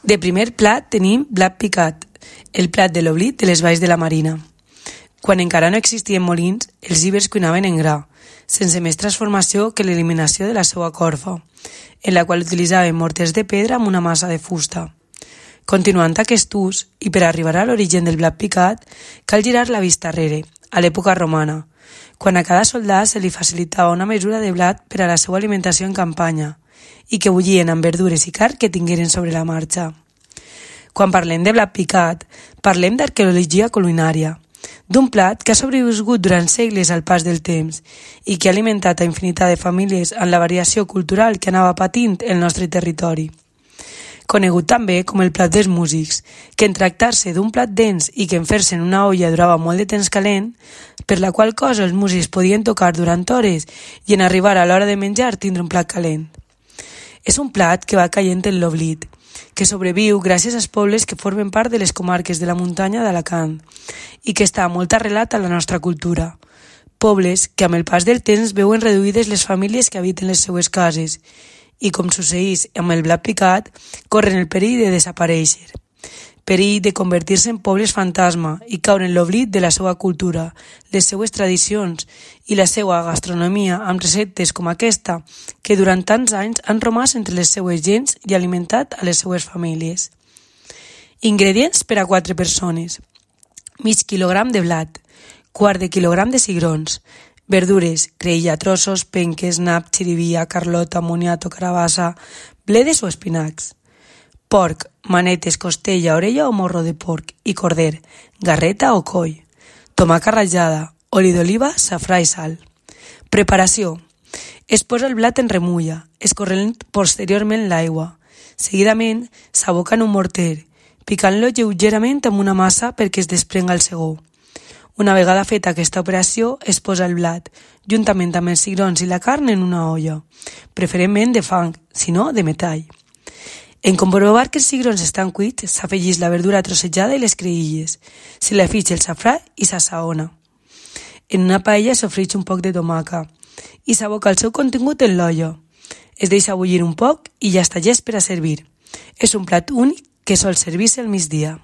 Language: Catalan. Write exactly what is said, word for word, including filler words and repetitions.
De primer plat tenim blat picat, el plat de l'oblit de les valls de la Marina. Quan encara no existien molins, els ibers cuinaven en gra, sense més transformació que l'eliminació de la seva corfa, en la qual utilitzaven morters de pedra amb una massa de fusta. Continuant aquest ús, i per arribar a l'origen del blat picat, cal girar la vista arrere, a l'època romana, quan a cada soldat se li facilitava una mesura de blat per a la seva alimentació en campanya, i que bullien amb verdures i carn que tingueren sobre la marxa. Quan parlem de blat picat, parlem d'arqueologia culinària, d'un plat que ha sobreviscut durant segles al pas del temps i que ha alimentat a infinitat de famílies amb la variació cultural que anava patint el nostre territori. Conegut també com el plat dels músics, que en tractar-se d'un plat dens i que en fer-se en una olla durava molt de temps calent, per la qual cosa els músics podien tocar durant hores i en arribar a l'hora de menjar tindre un plat calent. És un plat que va caient en l'oblit, que sobreviu gràcies als pobles que formen part de les comarques de la muntanya d'Alacant i que està molt arrelat a la nostra cultura. Pobles que amb el pas del temps veuen reduïdes les famílies que habiten les seues cases i, com succeeix amb el blat picat, corren el perill de desaparèixer, perill de convertir-se en pobles fantasma i caure en l'oblit de la seva cultura, les seues tradicions i la seva gastronomia amb receptes com aquesta que durant tants anys han romàs entre les seues gents i alimentat a les seues famílies. Ingredients per a quatre persones: mig quilogram de blat, quart de quilogram de cigrons, verdures, creïlla, trossos, penques, nap, xirivia, carlota, moniato, carabassa, bledes o espinacs. Porc, manetes, costella, orella o morro de porc i corder, garreta o coll. Tomaca ratllada, oli d'oliva, safrà i sal. Preparació. Es posa el blat en remulla, escorrent posteriorment l'aigua. Seguidament, s'aboca en un morter, picant-lo lleugerament amb una massa perquè es desprenga el segó. Una vegada feta aquesta operació, es posa el blat, juntament amb els cigrons i la carn en una olla, preferentment de fang, si no de metall. En comprovar que els cigrons estan cuits, s'afegeix la verdura trossejada i les creïlles, se li afegeix el safrà i s'assaona. En una paella s'ofreix un poc de tomaca i s'aboca el seu contingut en l'olla. Es deixa bullir un poc i ja està llest per a servir. És un plat únic que sol servir-se al migdia.